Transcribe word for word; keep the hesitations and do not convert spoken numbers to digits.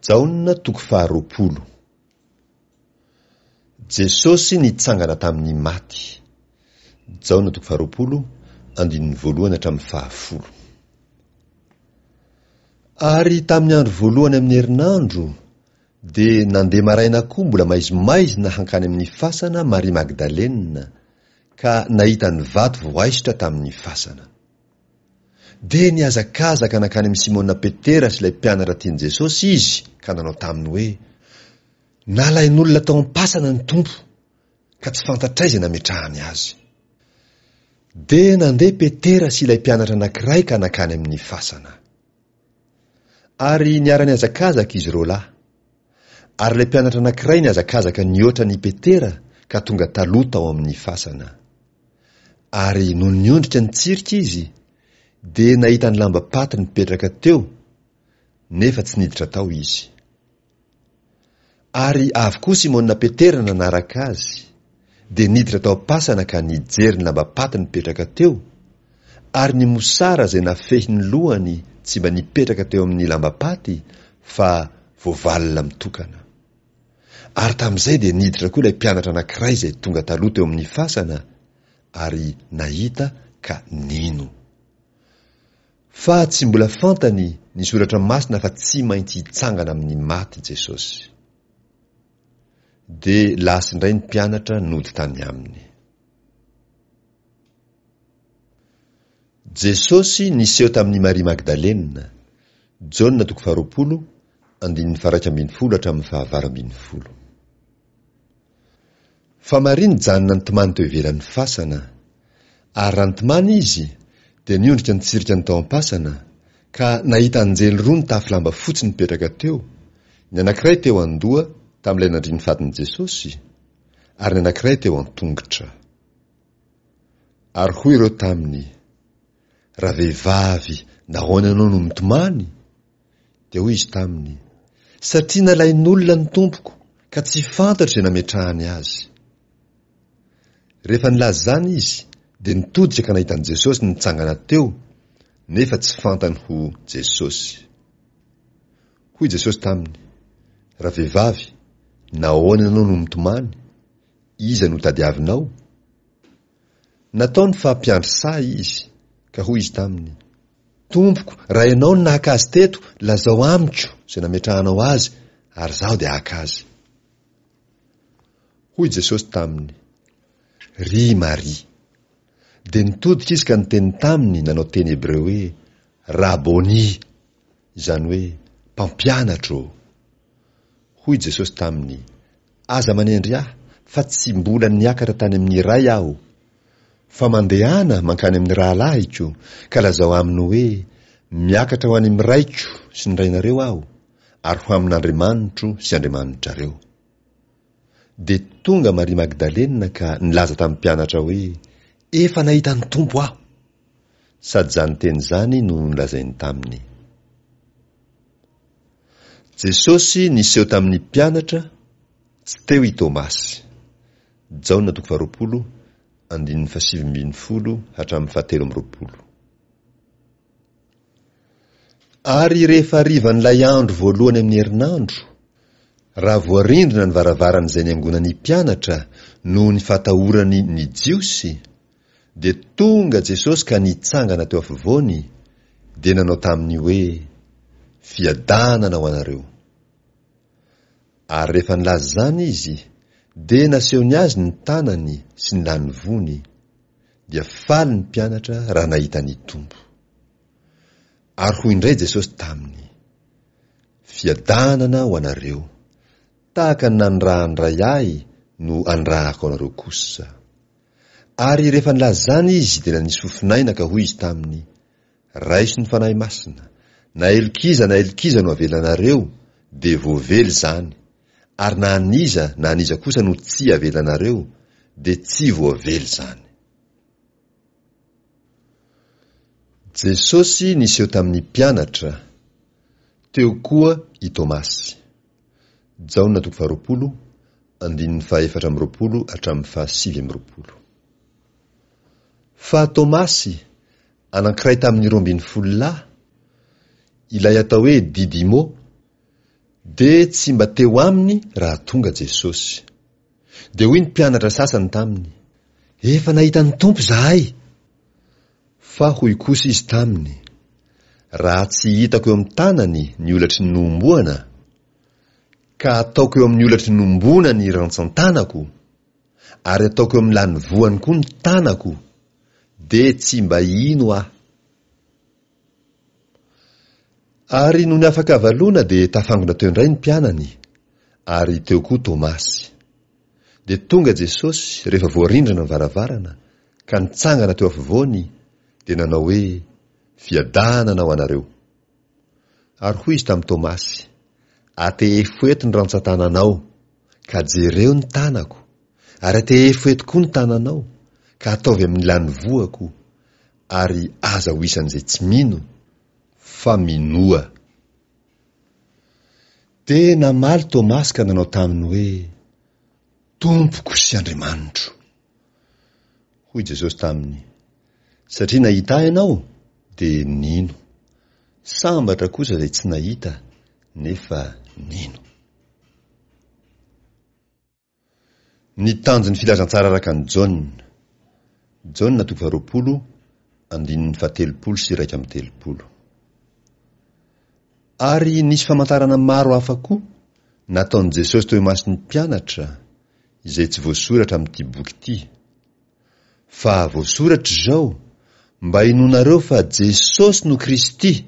Jaona toko faharoapolo. Jesosy nitsangana tamin'ny maty. Jaona toko faharoapolo, andininy voalohany hatramin'ny fahafolo. Ary tamin'ny andro voalohany amin'ny herinandro, dia nandeha maraina koa mbola maizimaizina hankany amin'ny fasana Maria Magdalena, ka nahita ny vato voaisotra tamin'ny fasana. Dia nihazakazaka nankany amin'i Simona Petera sy ilay mpianatra tian'i Jesosy izy ka nanao taminy hoe, Nalain'olona tao am-pasana ny Tompo, ka tsy fantatray izay nametrahany azy. Dia nandeha Petera sy ilay mpianatra anankiray ka nankany amin'ny fasana. Ary niara-nihazakazaka izy roa lahy. Ary ilay mpianatra anankiray nihazakazaka nihoatra an'i Petera ka tonga taloha tao amin'ny fasana. Ary nony niondrika nitsirika izy, dia nahita ny lambam-paty nipetraka teo, nefa tsy niditra tao izy. Ary avy koa Simona Petera nanaraka azy, dia niditra tao am-pasana ka nijery ny lambam-paty nipetraka teo, ary ny mosara izay nafehy ny lohany tsy mba nipetraka teo amin'ny lambam-paty fa voavalona mitokana. Ary tamin'izay dia niditra koa ilay mpianatra anankiray izay tonga taloha teo amin'ny fasana, ary nahita ka nino. Fa tsy mbola fantany ny soratra masina fa tsy maintsy hitsangana amin'ny maty Jesosy. Dia lasa indray ny mpianatra nody tany aminy. Jesosy niseho tamin'i Maria Magdalena, Jaona toko faharoapolo, andininy faha-iraika ambin'ny folo hatramin'ny fahavalo ambin'ny folo. Fa Maria nijanona nitomany teo ivelan'ny fasana. Ary raha nitomany izy, dia niondrika nitsirika ny tao am-pasana, ka nahita anjely roa nitafy lamba fotsy nipetraka teo, ny anankiray teo an-doha tamin'ilay nandrin'ny fatin'i Jesosy, ary ny anankiray teo an-tongotra. Ary hoy ireo taminy, Ravehivavy, nahoana ianao no mitomany? Dia hoy izy taminy, Satria nalain'olona ny Tompoko, ka tsy fantatro izay nametrahany azy. Rehefa nilaza izany izy, dia nitodika ka nahita an'i Jesosy nitsangana teo, nefa tsy fantany ho Jesosy. Hoy Jesosy taminy, Ravehivavy, nahoana ianao no mitomany? Iza no tadiavinao? Nataony fa mpiandry saha izy, ka hoy izy taminy, Tompoko, raha ianao no naka azy teto, lazao amiko izay nametrahanao azy, ary izaho dia haka azy. Hoy Jesosy taminy, Ry Maria. Dia nitodika izy ka niteny taminy nanao teny hebreo hoe, Raboni, izany hoe, Mpampianatra ô. Hoy Jesosy taminy, Aza manendry ahy, fa tsy mbola niakatra tany amin'ny Ray aho. Fa mandehana mankany amin'ny rahalahiko, ka lazao aminy hoe, Miakatra ho any amin'ny Raiko sy ny Rainareo aho, ary ho amin'Andriamanitro sy Andriamanitrareo. Dia tonga Maria Magdalena ka nilaza tamin'ny mpianatra hoe, Efa nahita ny Tompo aho! Sady izany teny izany no nolazainy taminy. Jesosy niseho tamin'ny mpianatra, tsy teo i Tomasy. Jaona toko faharoapolo, andininy fahasivy ambin'ny folo hatramin'ny fahatelo amby roapolo. Ary rehefa harivan'ilay andro voalohany amin'ny herinandro, raha voarindrina ny varavaran'izay niangonan'ny mpianatra noho ny fahatahorany ny Jiosy, dia tonga Jesosy ka nitsangana teo afovoany, dia nanao taminy hoe, Fiadanana ho anareo. Ary rehefa nilaza izany izy, dia nasehony azy ny tanany sy ny lanivoany. Dia faly ny mpianatra raha nahita ny Tompo. Ary hoy indray Jesosy taminy, Fiadanana ho anareo. Tahaka ny nanirahan'ny Ray ahy no anirahako anareo kosa. Ary rehefa nilaza izany izy dia nanisy fofon'aina ka hoy izy taminy, Raiso ny Fanahy Masina, na helok'iza na helok'iza no avelanareo, dia voavela izany, ary na an'iza na an'iza kosa no tsy avelanareo, dia tsy voavela izany. Jesosy niseho tamin'ny mpianatra, teo koa i Tomasy. Jaona toko faharoapolo, andininy fahaefatra amby roapolo hatramin'ny fahasivy amby roapolo. Fa Tomasy, anankiray tamin'ny roa ambin'ny folo lahy, ilay atao hoe Didimo, Dia tsy mba teo aminy raha tonga Jesosy. Dia hoy ny mpianatra sasany taminy, Efa nahita ny Tompo izahay! Fa hoy kosa izy taminy, Raha tsy hitako eo amin'ny tanany ny holatry ny nohomboana, ka ataoko eo amin'ny holatry ny nohomboana ny rantsan-tanako, ary ataoko eo amin'ny lanivoany koa ny tanako, dia tsy mba hino aho. Ary nony afaka havaloana dia tafangona teo indray ny mpianany, ary teo koa Tomasy. Dia tonga Jesosy rehefa voarindrana ny varavarana, ka nitsangana teo afovoany, dia nanao hoe, Fiadanana ho anareo. Ary hoy izy tamin'i Tomasy, Atehefo eto ny rantsan-tananao, ka jereo ny tanako, ary atehefo eto koa ny tananao, ka ataovy amin'ny lanivoako, ary aza ho isan'izay tsy mino, fa minoa. Dia namaly Tomasy ka nanao taminy hoe, Tompoko sy Andriamanitro. Hoy Jesosy taminy, Satria nahita Ahy ianao, dia nino. Sambatra kosa izay tsy nahita, nefa nino. Ny tanjon'ny filazantsara araka an'i Jaona. Jaona toko faharoapolo, andininy fahatelopolo sy iraika amby telopolo. Ary nisy famantarana maro hafa koa nataon'i Jesosy teo imason'ny mpianatra, izay tsy voasoratra amin'ity boky ity. Fa voasoratra izao, mba hinoanareo fa Jesosy no Kristy,